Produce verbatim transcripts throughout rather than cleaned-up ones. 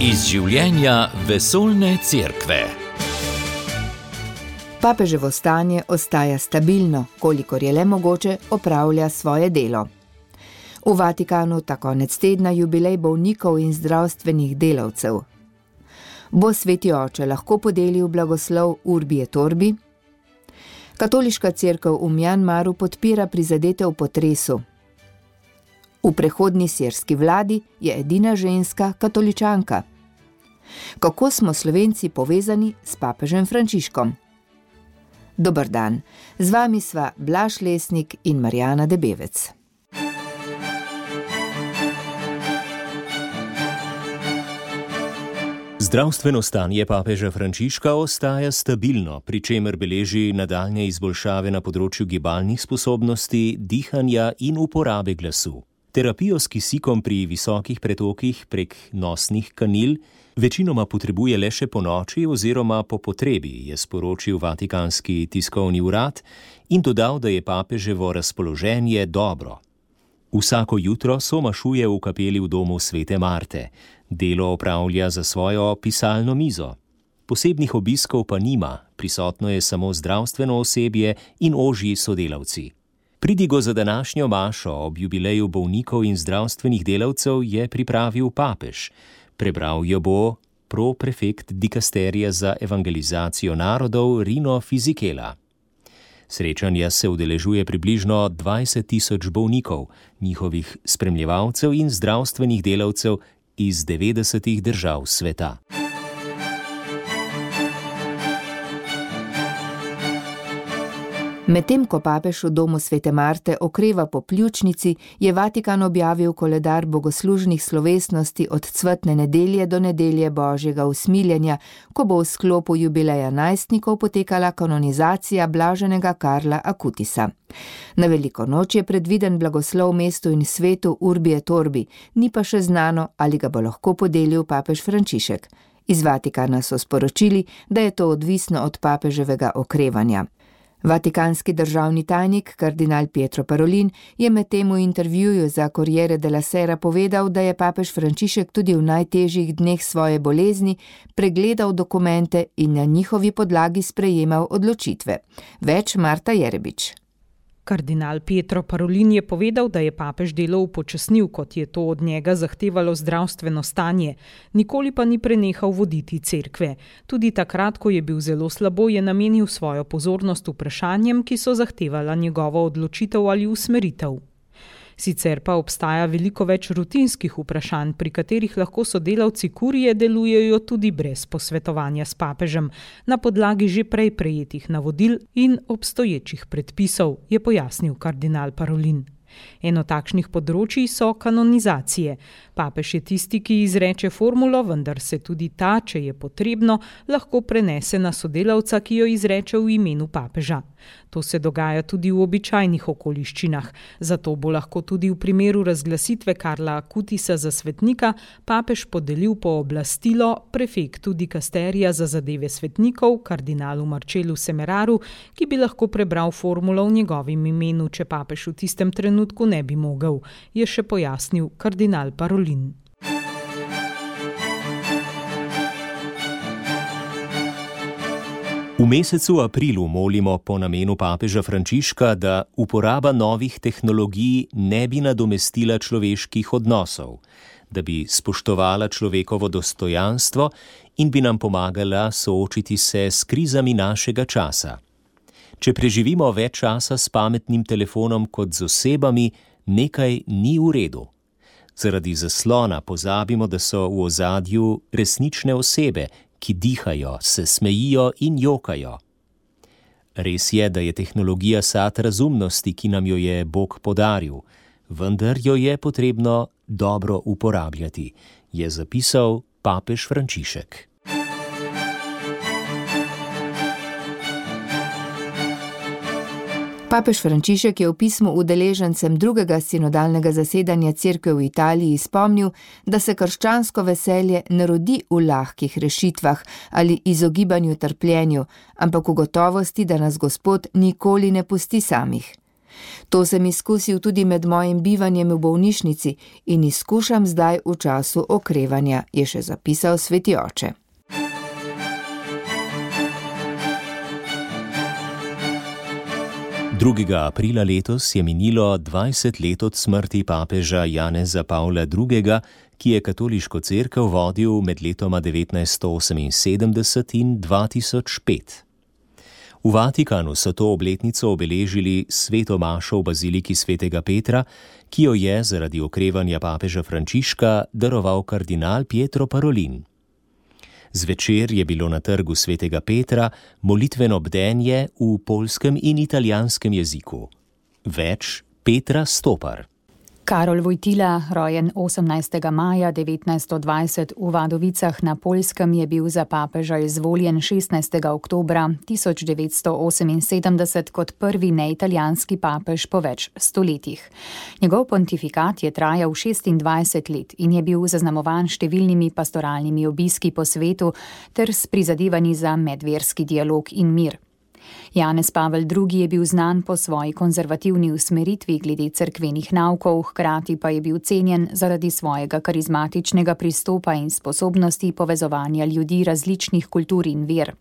Iz življenja vesoljne cerkve. Papeževo stanje ostaja stabilno, kolikor je le mogoče opravlja svoje delo. V Vatikanu ta konec tedna jubilej bolnikov in zdravstvenih delavcev. Bo sveti oče lahko podelil blagoslov Urbi et Orbi? Katoliška cerkev v Mjanmaru podpira prizadete v potresu. V prehodni sirski vladi je edina ženska katoličanka. Kako smo Slovenci povezani s papežem Frančiškom? Dober dan, z vami sva Blaž Lesnik in Marjana Debevec. Zdravstveno stanje papeža Frančiška ostaja stabilno, pri čemer beleži nadaljnje izboljšave na področju gibalnih sposobnosti, dihanja in uporabe glasu. Terapijo s kisikom pri visokih pretokih prek nosnih kanil večinoma potrebuje le še ponoči oziroma po potrebi, je sporočil Vatikanski tiskovni urad in dodal, da je papeževo razpoloženje dobro. Vsako jutro somašuje v kapeli v domu svete Marte. Delo opravlja za svojo pisalno mizo. Posebnih obiskov pa nima, prisotno je samo zdravstveno osebje in ožji sodelavci. Pridigo za današnjo mašo ob jubileju bolnikov in zdravstvenih delavcev je pripravil papež. Prebral jo bo proprefekt dikasterija za evangelizacijo narodov Rino Fisichella. Srečanja se udeležuje približno dvajset tisoč bolnikov, njihovih spremljevalcev in zdravstvenih delavcev iz devetdesetih držav sveta. Medtem ko papež v domu svete Marte okreva po pljučnici, je Vatikan objavil koledar bogoslužnih slovesnosti od cvetne nedelje do nedelje Božjega usmiljenja, ko bo v sklopu jubileja najstnikov potekala kanonizacija blaženega Karla Acutisa. Na veliko noč je predviden blagoslov mestu in svetu Urbi et Orbi, ni pa še znano, ali ga bo lahko podelil papež Frančišek. Iz Vatikana so sporočili, da je to odvisno od papeževega okrevanja. Vatikanski državni tajnik, kardinal Pietro Parolin, je medtem v intervjuju za Corriere della Sera povedal, da je papež Frančišek tudi v najtežjih dneh svoje bolezni pregledal dokumente in na njihovi podlagi sprejemal odločitve. Več Marta Jerebič. Kardinal Pietro Parolin je povedal, da je papež delo upočasnil, kot je to od njega zahtevalo zdravstveno stanje, nikoli pa ni prenehal voditi cerkve. Tudi takrat, ko je bil zelo slabo, je namenil svojo pozornost vprašanjem, ki so zahtevala njegovo odločitev ali usmeritev. Sicer pa obstaja veliko več rutinskih vprašanj, pri katerih lahko sodelavci kurije delujejo tudi brez posvetovanja s papežem, na podlagi že prej prejetih navodil in obstoječih predpisov, je pojasnil kardinal Parolin. Eno takšnih področij so kanonizacije. Papež je tisti, ki izreče formulo, vendar se tudi ta, če je potrebno, lahko prenese na sodelavca, ki jo izreče v imenu papeža. To se dogaja tudi v običajnih okoliščinah. Zato bo lahko tudi v primeru razglasitve Karla Acutisa za svetnika papež podelil pooblastilo prefektu dikasterija za zadeve svetnikov, kardinalu Marcellu Semeraru, ki bi lahko prebral formulo v njegovem imenu, če papež v tistem trenutku ne bi mogel, je še pojasnil kardinal Parolin. V mesecu aprilu molimo po namenu papeža Frančiška, da uporaba novih tehnologij ne bi nadomestila človeških odnosov, da bi spoštovala človekovo dostojanstvo in bi nam pomagala soočiti se s krizami našega časa. Če preživimo več časa s pametnim telefonom kot z osebami, nekaj ni v redu. Zaradi zaslona pozabimo, da so v ozadju resnične osebe, ki dihajo, se smejijo in jokajo. Res je, da je tehnologija sad razumnosti, ki nam jo je Bog podaril, vendar jo je potrebno dobro uporabljati, je zapisal papež Frančišek. Papež Frančišek je v pismu udeležencem drugega sinodalnega zasedanja cerkve v Italiji spomnil, da se krščansko veselje ne rodi v lahkih rešitvah ali izogibanju trpljenju, ampak v gotovosti, da nas Gospod nikoli ne pusti samih. To sem izkusil tudi med mojim bivanjem v bolnišnici in izkušam zdaj v času okrevanja, je še zapisal sveti oče. drugega aprila letos je minilo dvajset let od smrti papeža Janeza Pavla drugega, ki je katoliško cerkev vodil med letoma devetnajststo oseminsedemdeset in dva tisoč pet. V Vatikanu so to obletnico obeležili sveto mašo v baziliki svetega Petra, ki jo je zaradi okrevanja papeža Frančiška daroval kardinal Pietro Parolin. Zvečer je bilo na trgu svetega Petra molitveno bdenje v poljskem in italijanskem jeziku. Več Petra Stopar. Karol Wojtyla, rojen osemnajstega maja devetnajststo dvajset v Vadovicah na Poljskem, je bil za papeža izvoljen šestnajstega oktobra tisoč devetsto oseminsedemdeset kot prvi neitalijanski papež po več stoletjih. Njegov pontifikat je trajal šestindvajset let in je bil zaznamovan številnimi pastoralnimi obiski po svetu ter s prizadevanji za medverski dialog in mir. Janez Pavel drugi je bil znan po svoji konzervativni usmeritvi glede cerkvenih naukov, hkrati pa je bil cenjen zaradi svojega karizmatičnega pristopa in sposobnosti povezovanja ljudi različnih kultur in ver.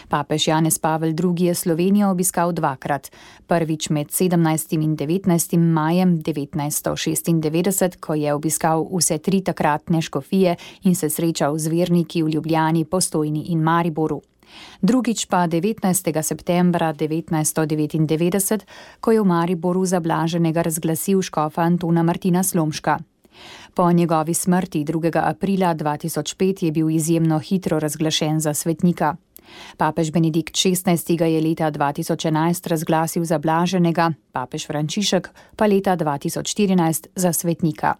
Papež Janez Pavel drugi je Slovenijo obiskal dvakrat, prvič med sedemnajstim in devetnajstim majem devetnajststo šestindevetdeset, ko je obiskal vse tri takratne škofije in se srečal z verniki v Ljubljani, Postojni in Mariboru. Drugič pa devetnajstega septembra devetnajststo devetindevetdeset, ko je v Mariboru za blaženega razglasil škofa Antona Martina Slomška. Po njegovi smrti drugega aprila dva tisoč pet je bil izjemno hitro razglašen za svetnika. Papež Benedikt šestnajsti ga je leta dva tisoč enajst razglasil za blaženega, papež Frančišek pa leta dva tisoč štirinajst za svetnika.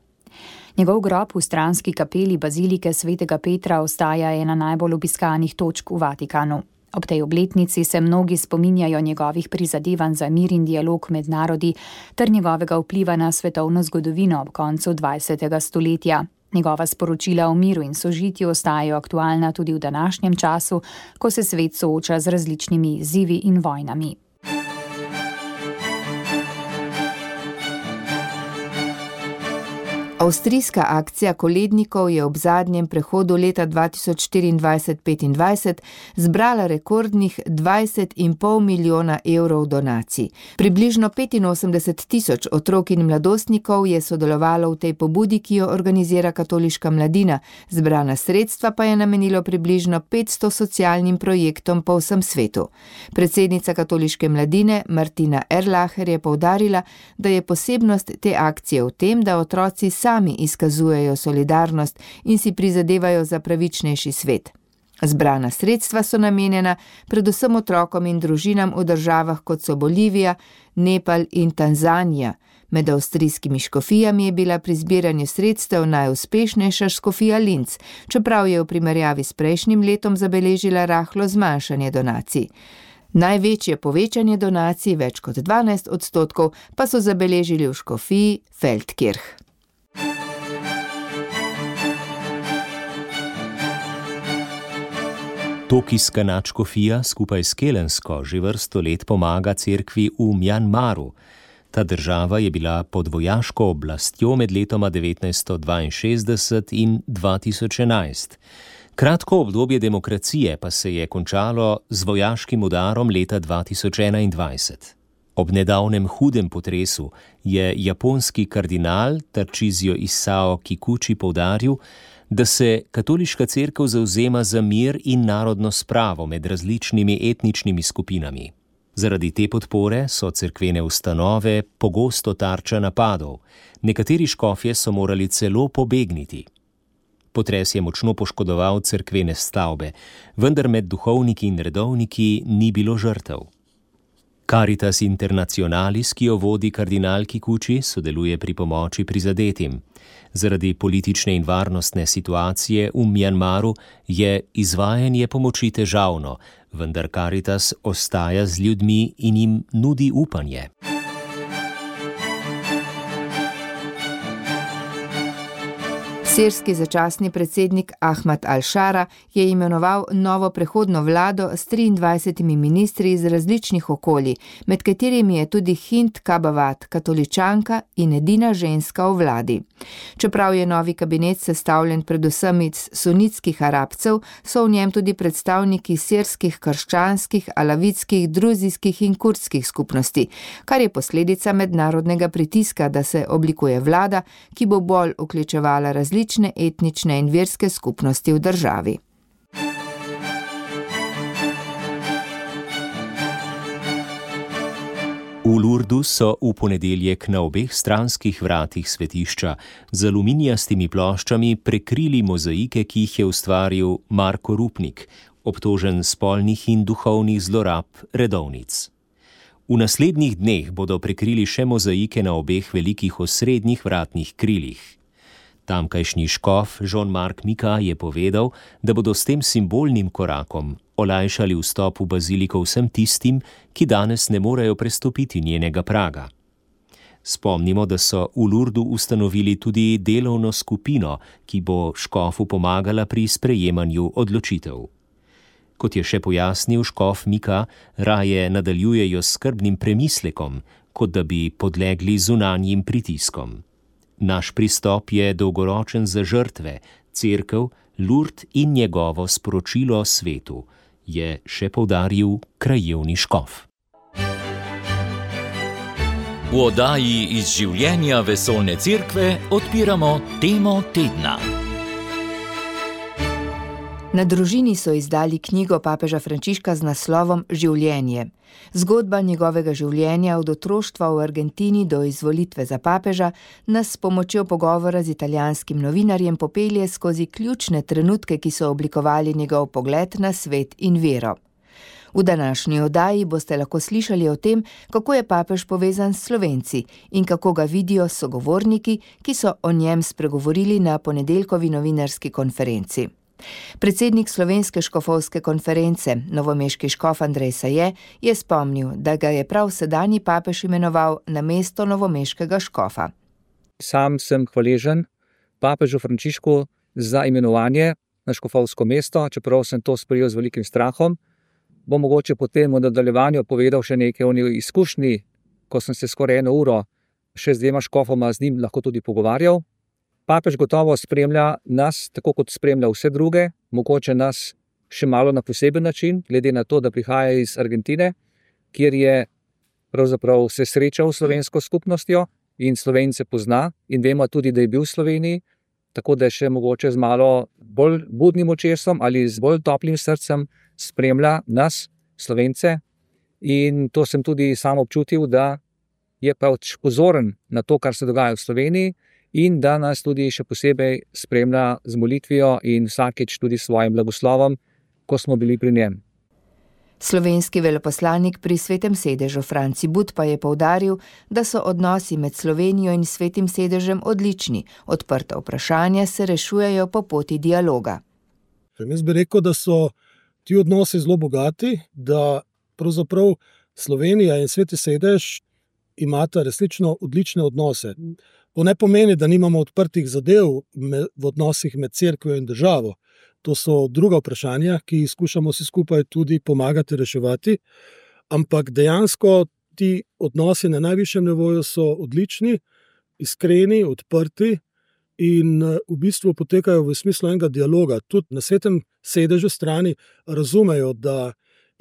Njegov grob v stranski kapeli bazilike svetega Petra ostaja ena najbolj obiskanih točk v Vatikanu. Ob tej obletnici se mnogi spominjajo njegovih prizadevanj za mir in dialog med narodi ter njegovega vpliva na svetovno zgodovino ob koncu dvajsetega stoletja. Njegova sporočila o miru in sožitju ostajajo aktualna tudi v današnjem času, ko se svet sooča z različnimi izzivi in vojnami. Avstrijska akcija kolednikov je ob zadnjem prehodu leta dva tisoč štiriindvajset petindvajset zbrala rekordnih dvajset in pol milijona evrov donacij. Približno petinosemdeset tisoč otrok in mladostnikov je sodelovalo v tej pobudi, ki jo organizira katoliška mladina, zbrana sredstva pa je namenilo približno petsto socialnim projektom po vsem svetu. Predsednica katoliške mladine Martina Erlacher je poudarila, da je posebnost te akcije v tem, da otroci sami sami izkazujejo solidarnost in si prizadevajo za pravičnejši svet. Zbrana sredstva so namenjena predvsem otrokom in družinam v državah kot so Bolivija, Nepal in Tanzanija. Med avstrijskimi škofijami je bila pri zbiranju sredstev najuspešnejša škofija Linz, čeprav je v primerjavi s prejšnjim letom zabeležila rahlo zmanjšanje donacij. Največje povečanje donacij, več kot dvanajst odstotkov, pa so zabeležili v škofiji Feldkirch. Tokijska nadškofija skupaj s Kelensko že vrsto let pomaga cerkvi v Mjanmaru. Ta država je bila pod vojaško oblastjo med letoma devetnajststo dvainšestdeset in dva tisoč enajst. Kratko obdobje demokracije pa se je končalo z vojaškim udarom leta dva tisoč enaindvajset. Ob nedavnem hudem potresu je japonski kardinal Tarcísio Isao Kikuchi poudaril, da se katoliška cerkev zavzema za mir in narodno spravo med različnimi etničnimi skupinami. Zaradi te podpore so cerkvene ustanove pogosto tarča napadov, nekateri škofje so morali celo pobegniti. Potres je močno poškodoval cerkvene stavbe, vendar med duhovniki in redovniki ni bilo žrtev. Caritas Internationalis, ki jo vodi kardinal Kikuchi, sodeluje pri pomoči prizadetim. Zaradi politične in varnostne situacije v Mjanmaru je izvajanje pomoči težavno, vendar Caritas ostaja z ljudmi in jim nudi upanje. Sirski začasni predsednik Ahmad al-Šara je imenoval novo prehodno vlado s triindvajsetimi ministri iz različnih okolij, med katerimi je tudi Hind Kabavat, katoličanka in edina ženska v vladi. Čeprav je novi kabinet sestavljen predvsem iz sunitskih Arabcev, so v njem tudi predstavniki sirskih, krščanskih, alavitskih, druzijskih in kurdskih skupnosti, kar je posledica mednarodnega pritiska, da se oblikuje vlada, ki bo bolj vključevala različne različne etnične in verske skupnosti v državi. V Lurdu so v ponedeljek na obeh stranskih vratih svetišča z aluminijastimi ploščami prekrili mozaike, ki jih je ustvaril Marko Rupnik, obtožen spolnih in duhovnih zlorab redovnic. V naslednjih dneh bodo prekrili še mozaike na obeh velikih osrednjih vratnih krilih. Tamkajšnji škof Jean-Marc Mika je povedal, da bodo s tem simbolnim korakom olajšali vstop v baziliko vsem tistim, ki danes ne morejo prestopiti njenega praga. Spomnimo, da so v Lurdu ustanovili tudi delovno skupino, ki bo škofu pomagala pri sprejemanju odločitev. Kot je še pojasnil škof Mika, raje nadaljujejo s skrbnim premislekom, kot da bi podlegli zunanjim pritiskom. Naš pristop je dolgoročen za žrtve, cerkev, Lurd in njegovo sporočilo svetu, je še poudaril krajevni škof. V oddaji iz življenja vesoljne cerkve odpiramo temo tedna. Na Družini so izdali knjigo papeža Frančiška z naslovom Življenje. Zgodba njegovega življenja od otroštva v Argentini do izvolitve za papeža nas s pomočjo pogovora z italijanskim novinarjem popelje skozi ključne trenutke, ki so oblikovali njegov pogled na svet in vero. V današnji oddaji boste lahko slišali o tem, kako je papež povezan s Slovenci in kako ga vidijo sogovorniki, ki so o njem spregovorili na ponedeljkovi novinarski konferenci. Predsednik Slovenske škofovske konference, novomeški škof Andrej Saje, je spomnil, da ga je prav sedanji papež imenoval na mesto novomeškega škofa. Sam sem hvaležen papežu Frančišku za imenovanje na škofovsko mesto, čeprav sem to sprejel z velikim strahom. Bom mogoče potem v nadaljevanju povedal še nekaj o njej izkušnji, ko sem se skoraj eno uro še z dvema škofoma z njim lahko tudi pogovarjal. Papež gotovo spremlja nas, tako kot spremlja vse druge, mogoče nas še malo na poseben način, glede na to, da prihaja iz Argentine, kjer je pravzaprav se srečal s slovensko skupnostjo in Slovence pozna in vemo tudi, da je bil v Sloveniji, tako da še mogoče z malo bolj budnim očesom ali z bolj toplim srcem spremlja nas, Slovence, in to sem tudi sam občutil, da je pač pozoren na to, kar se dogaja v Sloveniji, in da nas tudi še posebej spremlja z molitvijo in vsakič tudi s svojim blagoslovom, ko smo bili pri njem. Slovenski veleposlanik pri Svetem sedežu Franci But pa je poudaril, da so odnosi med Slovenijo in Svetim sedežem odlični, odprta vprašanja se rešujejo po poti dialoga. Jaz bi rekel, da so ti odnosi zelo bogati, da pravzaprav Slovenija in Sveti sedež imata resnično odlične odnose. To ne pomeni, da nimamo odprtih zadev v odnosih med cerkvijo in državo. To so druga vprašanja, ki skušamo si skupaj tudi pomagati reševati, ampak dejansko ti odnosi na najvišjem nivoju so odlični, iskreni, odprti in v bistvu potekajo v smislu enega dialoga. Tudi na Svetem sedežu strani razumejo, da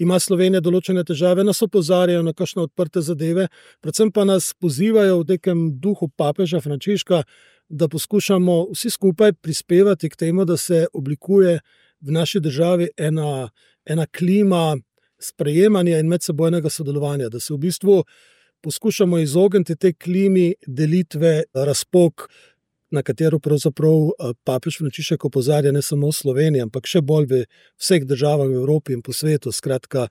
ima Slovenija določene težave, nas opozarjajo na kakšne odprte zadeve, predvsem pa nas pozivajo v nekem duhu papeža Frančiška, da poskušamo vsi skupaj prispevati k temu, da se oblikuje v naši državi ena, ena klima sprejemanja in medsebojnega sodelovanja, da se v bistvu poskušamo izogniti tej klimi delitve, razpok, na katero pravzaprav papež Frančišek opozarja ne samo v Sloveniji, ampak še bolj v vseh državah v Evropi in po svetu. Skratka,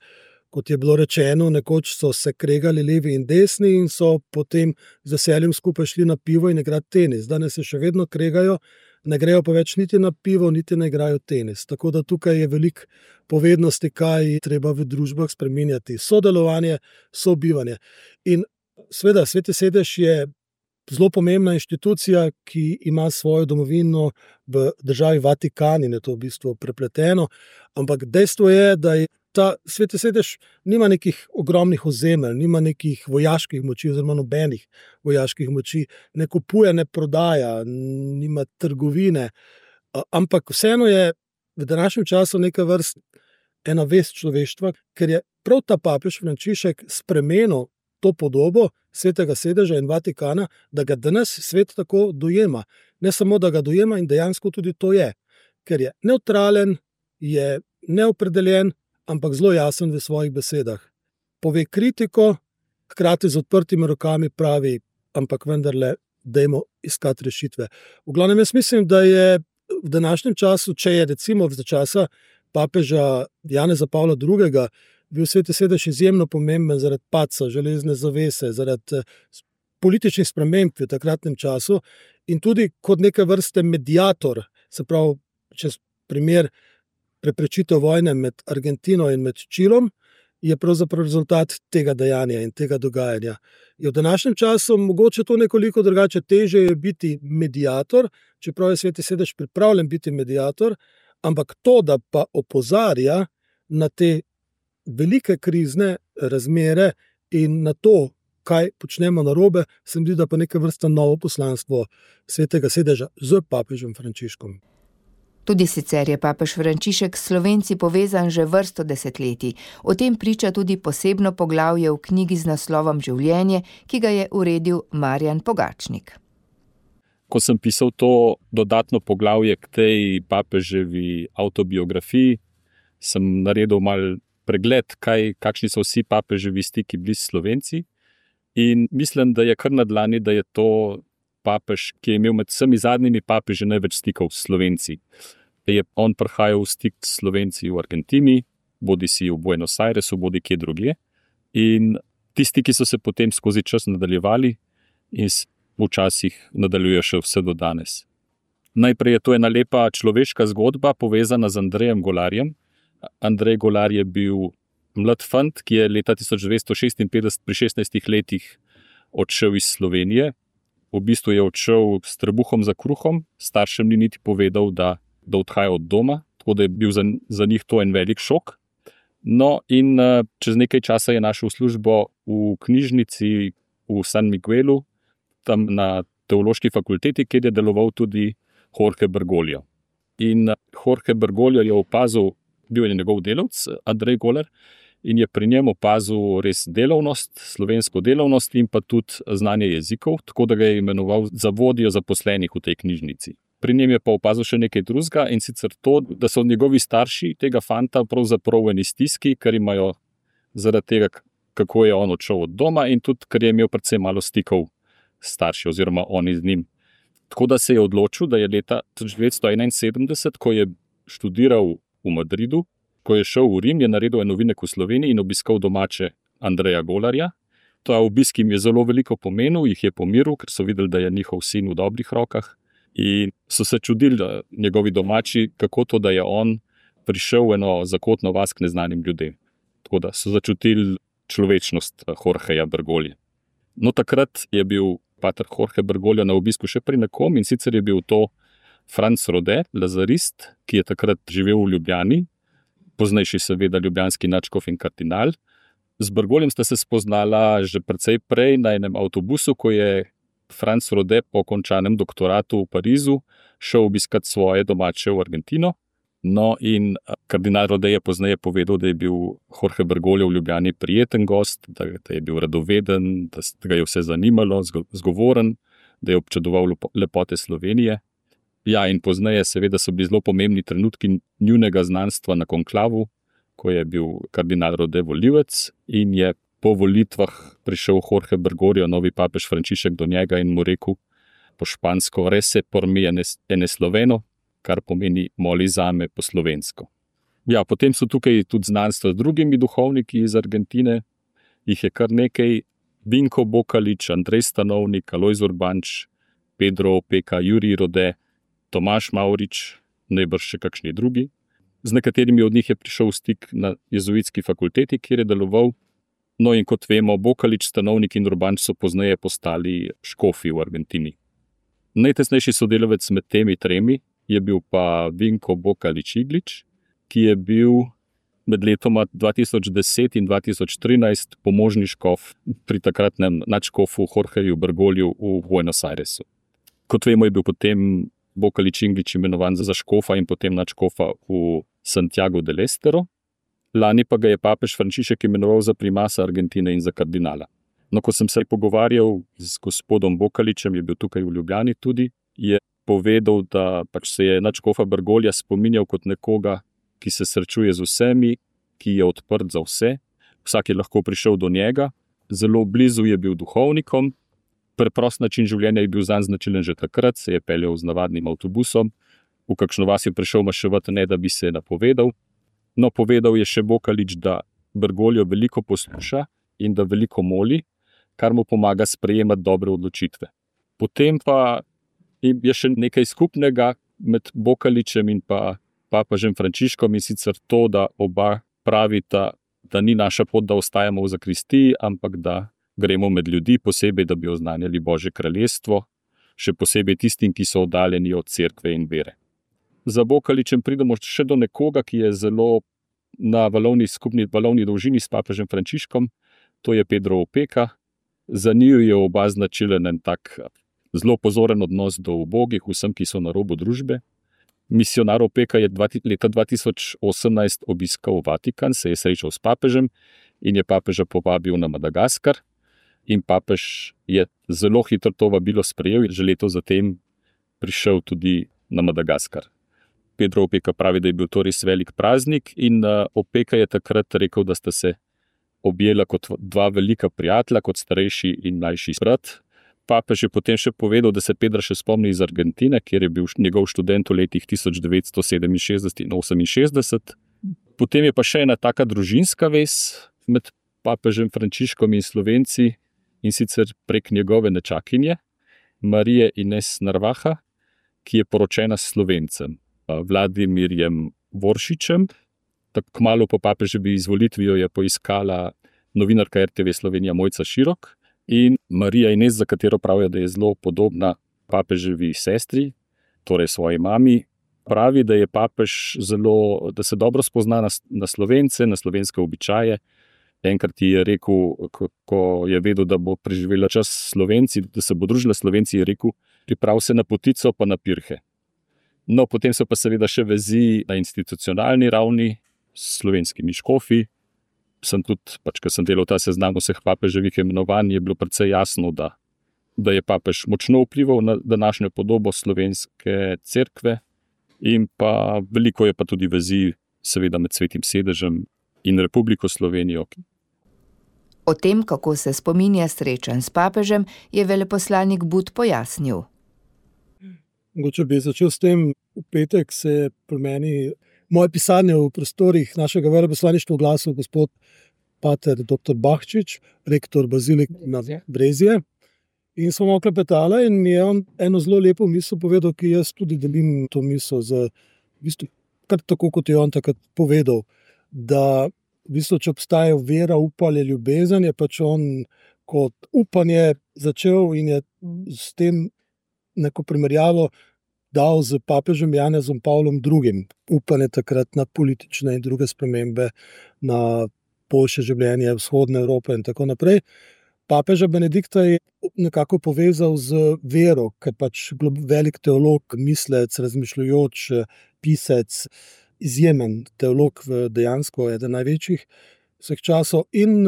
kot je bilo rečeno, nekoč so se kregali levi in desni in so potem z veseljem skupaj šli na pivo in igrati tenis. Danes se še vedno kregajo, ne grejo pa več niti na pivo, niti ne igrajo tenis. Tako da tukaj je veliko povednosti, kaj treba v družbah spreminjati. Sodelovanje, sobivanje. In seveda, Sveti sedež je zelo pomembna inštitucija, ki ima svojo domovino v državi Vatikan in je to v bistvu prepleteno, ampak dejstvo je, da je ta Sveti sedež nima nekih ogromnih ozemelj, nima nekih vojaških moči oziroma nobenih vojaških moči, ne kupuje, ne prodaja, nima trgovine, ampak vseeno je v današnjem času neka vrst ena vest človeštva, ker je prav ta papež Frančišek spremenil to podobo Svetega sedeža in Vatikana, da ga danes svet tako dojema. Ne samo, da ga dojema in dejansko tudi to je, ker je nevtralen, je neopredeljen, ampak zelo jasen v svojih besedah. Pove kritiko, hkrati z odprtimi rokami pravi, ampak vendarle dajmo iskati rešitve. V glavnem, jaz mislim, da je v današnjem času, če je recimo za časa papeža Janeza Pavla drugega bil Sveti sedež izjemno pomemben zaradi padca železne zavese, zaradi političnih sprememb v takratnem času in tudi kot neke vrste mediator, se pravi, čez primer preprečitev vojne med Argentino in med Čilom, je pravzaprav rezultat tega dejanja in tega dogajanja. Je v današnjem času mogoče to nekoliko drugače, težje je biti mediator, čeprav je Sveti sedež pripravljen biti mediator, ampak to, da pa opozarja na te velike krizne razmere in na to, kaj počnemo narobe, se mi zdi, da pa neka vrsta novo poslanstvo Svetega sedeža z papežem Frančiškom. Tudi sicer je papež Frančišek s Slovenci povezan že vrsto desetletij. O tem priča tudi posebno poglavje v knjigi z naslovom Življenje, ki ga je uredil Marjan Pogačnik. Ko sem pisal to dodatno poglavje k tej papeževi avtobiografiji, sem naredil mal pregled, kaj, kakšni so vsi papeževi stiki bili s Slovenci. In mislim, da je kar na dlani, da je to papež, ki je imel med vsemi zadnjimi papeži največ stikov s Slovenci. Je on prihajal v stik s Slovenci v Argentini, bodi si v Buenos Airesu, bodi kje drugje. In ti stiki so se potem skozi čas nadaljevali in včasih nadaljujejo še vse do danes. Najprej je to ena lepa človeška zgodba, povezana z Andrejem Golarjem. Andrej Golar je bil mlad fant, ki je leta tisoč devetsto šestinpetdeset pri šestnajstih letih odšel iz Slovenije. V bistvu je odšel s trebuhom za kruhom, staršem ni niti povedal, da, da odhaja od doma, tako da je bil za, za njih to en velik šok. No in čez nekaj časa je našel službo v knjižnici v San Miguelu, tam na teološki fakulteti, kjer je deloval tudi Jorge Bergoglio. In Jorge Bergoglio je opazil, bil je njegov delavc, Andrej Golar, in je pri njem opazil res delovnost, slovensko delovnost in pa tudi znanje jezikov, tako da ga je imenoval za vodjo zaposlenih v tej knjižnici. Pri njem je pa opazil še nekaj drugega, in sicer to, da so njegovi starši tega fanta pravzaprav v eni stiski, ker imajo zaradi tega, kako je on odšel od doma in tudi, ker je imel predvsem malo stikov s starši oziroma oni z njim. Tako da se je odločil, da je leta tisoč devetsto enainsedemdeset, ko je študiral v Madridu, ko je šel v Rim, je naredil en ovinek v Sloveniji in obiskal domače Andreja Golarja. Ta obisk jim je zelo veliko pomenil, jih je pomiril, ker so videli, da je njihov sin v dobrih rokah in so se čudili njegovi domači, kako to, da je on prišel v eno zakotno vas k neznanim ljudem. Tako da so začutili človečnost Jorgeja Bergoglija. No, takrat je bil pater Jorge Bergoglio na obisku še pri nekom, in sicer je bil to Franc Rode, lazarist, ki je takrat živel v Ljubljani, poznejši seveda ljubljanski nadškof in kardinal. Z Bergogljem sta se spoznala že precej prej na enem avtobusu, ko je Franc Rode po končanem doktoratu v Parizu šel obiskat svoje domače v Argentino. No in kardinal Rode je pozneje povedal, da je bil Jorge Bergoglio v Ljubljani prijeten gost, da je bil radoveden, da ga je vse zanimalo, zgovoren, da je občudoval lepote Slovenije. Ja, in pozneje seveda so bili zelo pomembni trenutki njunega znanstva na konklavu, ko je bil kardinal Rode volivec in je po volitvah prišel Jorge Bergoglio, novi papež Frančišek, do njega in mu rekel po špansko: "Rese por mi en sloveno", kar pomeni "moli zame" po slovensko. Ja, potem so tukaj tudi znanstva z drugimi duhovniki iz Argentine, jih je kar nekaj: Vinko Bokalič, Andrej Stanovnik, Alojz Urbanč, Pedro Opeka, Jurij Rode, Tomaž Mavrič, najbrž še kakšni drugi. Z nekaterimi od njih je prišel v stik na jezuitski fakulteti, kjer je deloval. No in kot vemo, Bokalič, Stanovnik in Urbanč so pozneje postali škofi v Argentini. Najtesnejši sodelavec med temi tremi je bil pa Vinko Bokalič-Iglič, ki je bil med letoma dva tisoč deset in dva tisoč trinajst pomožni škof pri takratnem nadškofu Jorgeju Bergolju v Buenos Airesu. Kot vemo, je bil potem Bokalič-Iglič imenovan za škofa in potem nadškofa v Santiago del Estero. Lani pa ga je papež Frančišek imenoval za primasa Argentine in za kardinala. No, ko sem se pogovarjal z gospodom Bokaličem, je bil tukaj v Ljubljani tudi, je povedal, da pač se je nadškofa Bergolja spominjal kot nekoga, ki se srečuje z vsemi, ki je odprt za vse, vsak je lahko prišel do njega, zelo blizu je bil duhovnikom, preprost način življenja je bil zanj značilen že takrat, se je peljal z navadnim avtobusom, v kakšno vas je prišel maševati, ne da bi se napovedal. No, povedal je še Bokalič, da Bergoljo veliko posluša in da veliko moli, kar mu pomaga sprejemati dobre odločitve. Potem pa je še nekaj skupnega med Bokaličem in pa papežem Frančiškom, in sicer to, da oba pravita, da ni naša pot, da ostajamo v zakristiji, ampak da gremo med ljudi, posebej, da bi oznanjali Božje kraljestvo, še posebej tistim, ki so oddaljeni od cerkve in vere. Za Bokaličem pridemo še do nekoga, ki je zelo na valovni skupni valovni dolžini s papežem Frančiškom, to je Pedro Opeka. Za njiju je oba značilen en tak zelo pozoren odnos do ubogih, vsem, ki so na robu družbe. Misionar Opeka je leta dva tisoč osemnajst obiskal Vatikan, se je srečal s papežem in je papeža povabil na Madagaskar. In papež je zelo hitro to vabilo sprejel in že leto zatem prišel tudi na Madagaskar. Pedro Opeka pravi, da je bil to res velik praznik in Opeka je takrat rekel, da sta se objela kot dva velika prijatelja, kot starejši in mlajši brat. Papež je potem še povedal, da se Pedra še spomni iz Argentine, kjer je bil njegov študent v letih tisoč devetsto sedeminšestdeset in oseminšestdeset. Potem je pa še ena taka družinska vez med papežem Frančiškom in Slovenci, in sicer prek njegove nečakinje, Marije Ines Narvaha, ki je poročena s Slovencem, Vladimirjem Voršičem. Tako kmalu po papeževi izvolitvijo je poiskala novinarka er te ve Slovenija Mojca Širok in Marija Ines, za katero pravijo, da je zelo podobna papeževi sestri, torej svoji mami, pravi, da je papež zelo, da se dobro spozna na, na Slovence, na slovenske običaje. Enkrat ji je rekel, ko je vedel, da bo preživela čas Slovenci, da se bo družila Slovenci, je rekel, priprav se na potico pa na pirhe. No, potem so pa seveda še vezi na institucionalni ravni s slovenskimi škofi. Sem tudi, pač, ko sem delal ta seznam vseh papeževih imenovanj, je bilo precej jasno, da, da je papež močno vplival na današnjo podobo slovenske cerkve in pa veliko je pa tudi vezi seveda med Svetim sedežem in Republiko Slovenijo. O tem, kako se spominja srečanj s papežem, je veleposlanik But pojasnil. Mogoče bi začel s tem, v petek se je pri meni moje pisanje v prostorih našega veleposlaništva oglasil gospod pater doktor Bahčič, rektor bazilik na Brezje. In smo malo klepetali in je on eno zelo lepo misel povedal, ki jaz tudi delim to misel z, v bistvu, kar tako, kot je on takrat povedal, da v bistvu, če obstaja vera, upanje, ljubezen, je pač on kot upanje začel in je s tem neko primerjavo dal z papežem Janezom Pavlom drugim. Upanje takrat na politične in druge spremembe, na boljše življenje vzhodne Evrope in tako naprej. Papeža Benedikta je nekako povezal z vero, ker pač velik teolog, mislec, razmišljujoč, pisec, izjemen teolog, dejansko eden največjih vseh časov. In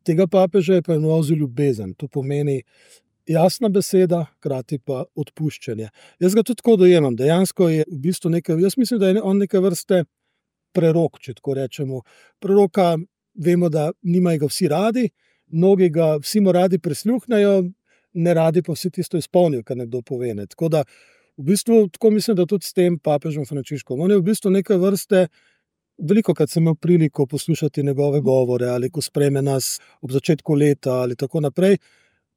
tega papeža je pa imenoval za ljubezen. To pomeni jasna beseda, hkrati pa odpuščanje. Jaz ga tudi tako dojemam. Dejansko je v bistvu nekaj, jaz mislim, da je on neke vrste prerok, če tako rečemo. Preroka vemo, da nimajo ga vsi radi, mnogi ga vsi mu radi prisluhnejo, ne radi pa vsi tisto izpolnijo, kar nekdo pove. Ne. Tako da v bistvu tako mislim, da tudi s tem papežem Frančiškom. On je v bistvu neke vrste, veliko krat sem imel priliko poslušati njegove govore, ali ko sprejme nas ob začetku leta ali tako naprej.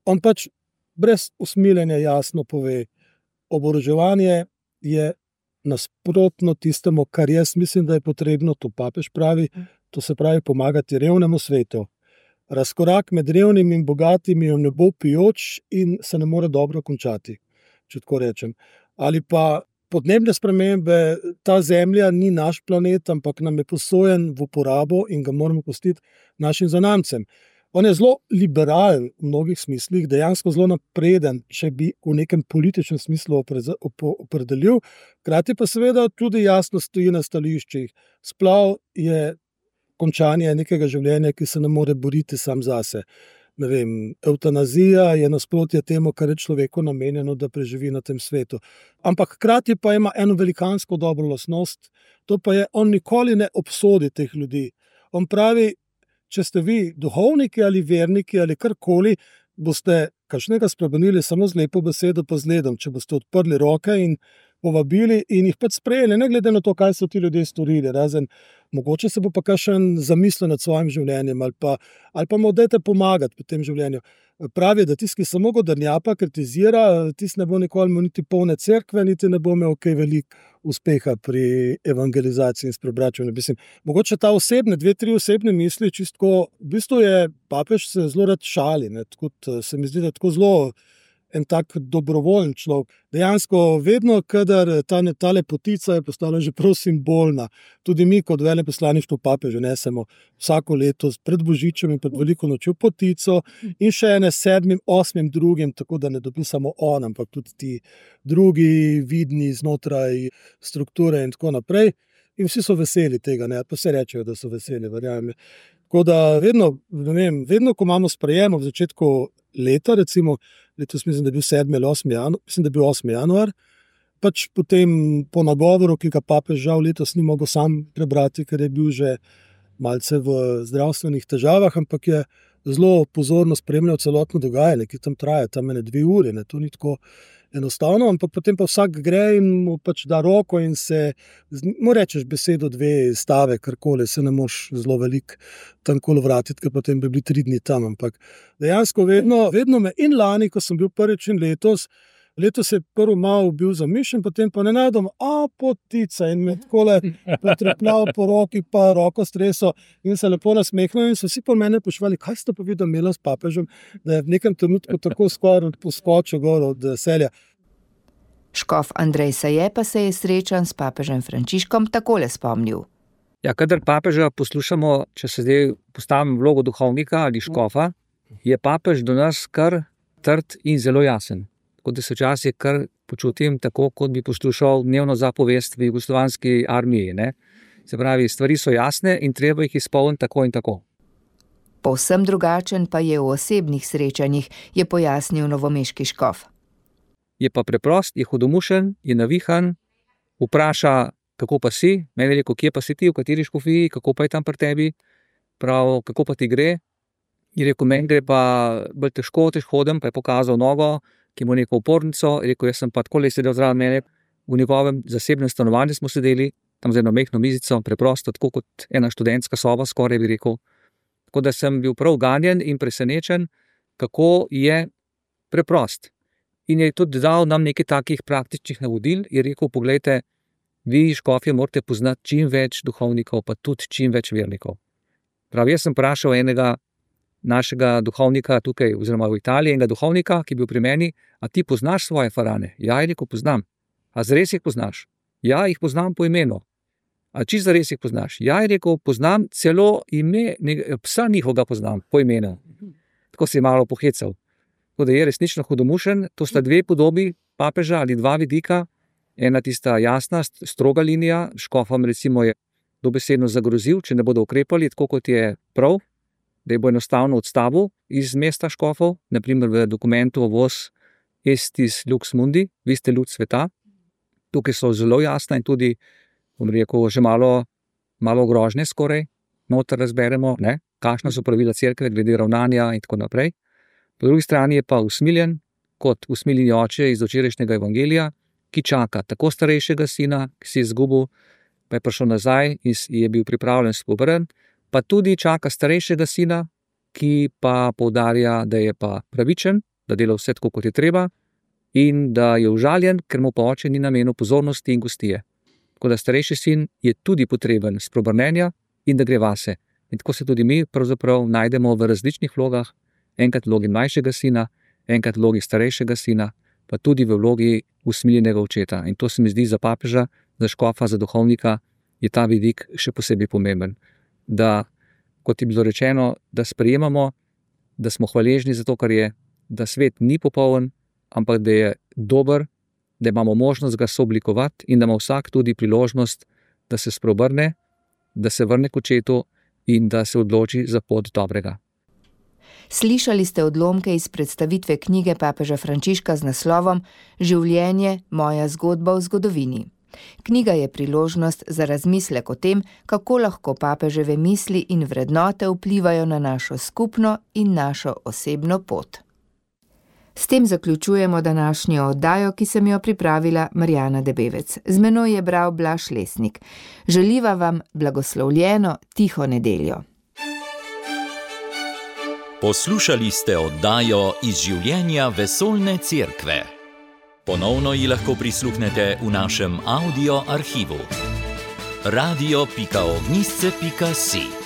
On pač brez usmiljenja jasno pove, oboroževanje je nasprotno tistemu, kar jaz mislim, da je potrebno, to papež pravi, to se pravi pomagati revnemu svetu, razkorak med revnimi in bogatimi je v nebo pijoč in se ne more dobro končati, če tako rečem. Ali pa podnebne spremembe, ta zemlja ni naš planet, ampak nam je posojen v uporabo in ga moramo pustiti našim zanamcem. On je zelo liberalen v mnogih smislih, dejansko zelo napreden, če bi v nekem političnem smislu opredelil, hkrati pa seveda tudi jasno stoji na stališčih. Splav je končanje nekega življenja, ki se ne more boriti sam zase. Ne vem, evtanazija je nasprotje temu, kar je človeku namenjeno, da preživi na tem svetu. Ampak hkrati pa ima eno velikansko dobro lastnost, to pa je, on nikoli ne obsodi teh ljudi. On pravi, če ste vi duhovniki ali verniki ali karkoli, boste kakšnega spremenili samo z lepo besedo pa z ledom, če boste odprli roke in povabili in jih pač sprejeli, ne glede na to, kaj so ti ljudje storili, razen mogoče se bo pa kakšen zamislil nad svojim življenjem ali pa, ali pa mu dajte pomagati pri tem življenju. Pravi, da tisti, ki samo godrnjapa, kritizira, tisti ne bo nikoli imel niti polne cerkve, niti ne bo imel kaj veliko uspeha pri evangelizaciji in s preobračanjem. Mislim, mogoče ta osebne, dve, tri osebne misli, čistko, v bistvu je papež se zelo rad šali, ne, tako se mi zdi, da tako zelo en tak dobrovoljen človek. Dejansko vedno, kadar ta, ta lepotica je postala že prav simbolna, tudi mi kot veleposlaništvo papeža nesemo vsako leto pred Božičem in pred veliko nočjo potico in še ene sedmim, osmim drugim, tako da ne dobi samo on, ampak tudi ti drugi vidni znotraj strukture in tako naprej. In vsi so veseli tega, ne, pa se rečejo, da so veseli, verjamem. Tako da vedno, ne vem, vedno, ko imamo sprejemo v začetku leta, recimo, letos mislim, da je bil sedmi ali osmi januar, mislim, da je bil osmi januar, pač potem po nagovoru, ki ga papež žal letos ni mogel sam prebrati, ker je bil že malce v zdravstvenih težavah, ampak je zelo pozorno spremljal celotno dogajanje, ki tam traja, tam ene dve uri, ne, to ni tako enostavno, ampak potem pa vsak gre in mu pač da roko in se, mu rečeš besedo, dve stave, karkoli, se ne moš zelo veliko tam kolo vratiti, ker potem bi bili tri dni tam, ampak dejansko vedno, vedno me in lani, ko sem bil prvič in letos, letos je prvo malo bil zamišljen, potem pa ne najdem, a potica in me takole pretrepljal po roki, pa roko streso in se lepo nasmehnil in so vsi po mene pošvali, kaj ste pa videl imela s papežem, da je v nekem trenutku tako skoraj poskočil gor od veselja. Škof Andrej Saje pa se je srečan s papežem Frančiškom takole spomnil. Ja, kadar papeža poslušamo, če se zdaj postavim vlogo duhovnika ali škofa, je papež do nas kar trd in zelo jasen. Tako da se včasih kar počutim tako, kot bi poslušal dnevno zapovest v jugoslovanski armiji. Ne? Se pravi, stvari so jasne in treba jih izpolniti tako in tako. Povsem drugačen pa je v osebnih srečanjih, je pojasnil novomeški škof. Je pa preprost, je hudomušen, je navihan, vpraša, kako pa si, meni je rekel, kje pa si ti, v kateri škofiji, kako pa je tam pri tebi, prav, kako pa ti gre. Je rekel, meni gre pa bolj težko, težko hodem, pa je pokazal nogo, ki ima neko opornico, je rekel, jaz sem pa tako le sedel zraven mene, v njegovem zasebnem stanovanju smo sedeli, tam z eno mehno mizico, preprosto, tako kot ena študentska soba, skoraj bi rekel. Tako da sem bil prav ganjen in presenečen, kako je preprost. In je tudi dal nam nekaj takih praktičnih navodil, je rekel, poglejte, vi škofje morate poznati čim več duhovnikov, pa tudi čim več vernikov. Prav, jaz sem vprašal enega našega duhovnika tukaj, oziroma v Italiji, enega duhovnika, ki je bil pri meni, a ti poznaš svoje farane? Ja, je rekel, poznam. A zares jih poznaš? Ja, jih poznam po imenu. A čisto zares jih poznaš? Ja, je rekel, poznam celo ime, psa njihovega poznam po imenu. Tako se je malo pohecal. Tako da je resnično hudomušen, to sta dve podobi papeža ali dva vidika, ena tista jasna, stroga linija, škofom recimo je dobesedno zagrozil, če ne bodo ukrepali, tako kot je prav, da je bo enostavno odstavil iz mesta škofov, naprimer v dokumentu Vos Estis Lux Mundi, vi ste luč sveta. Tukaj so zelo jasna in tudi, bom rekel, že malo, malo grožnje skoraj, noter razberemo, ne, kakšna so pravila cerkve, glede ravnanja in tako naprej. Po drugi strani je pa usmiljen, kot usmiljeni oče iz včerajšnjega evangelija, ki čaka tako starejšega sina, ki si je izgubil, pa je prišel nazaj in je bil pripravljen spobrn, pa tudi čaka starejšega sina, ki pa poudarja, da je pa pravičen, da dela vse tako, kot je treba in da je užaljen, ker mu pa oče ni namenil pozornosti in gostije. Tako da starejši sin je tudi potreben spreobrnenja in da gre vase. In tako se tudi mi pravzaprav najdemo v različnih vlogah, enkrat v vlogi mlajšega sina, enkrat v vlogi starejšega sina, pa tudi v vlogi usmiljenega očeta. In to se mi zdi za papeža, za škofa, za duhovnika, je ta vidik še posebej pomemben. Da, kot je bilo rečeno, da sprejemamo, da smo hvaležni za to, kar je, da svet ni popoln, ampak da je dober, da imamo možnost ga sooblikovati in da ima vsak tudi priložnost, da se spreobrne, da se vrne k očetu in da se odloči za pot dobrega. Slišali ste odlomke iz predstavitve knjige papeža Frančiška z naslovom Življenje, moja zgodba v zgodovini. Knjiga je priložnost za razmislek o tem, kako lahko papeževe misli in vrednote vplivajo na našo skupno in našo osebno pot. S tem zaključujemo današnjo oddajo, ki sem jo pripravila Marjana Debevec. Z menoj je bral Blaž Lesnik. Želiva vam blagoslovljeno tiho nedeljo. Poslušali ste oddajo iz življenja vesoljne cerkve. Ponovno ji lahko prisluhnete v našem audio arhivu. radio pika ognjišče pika si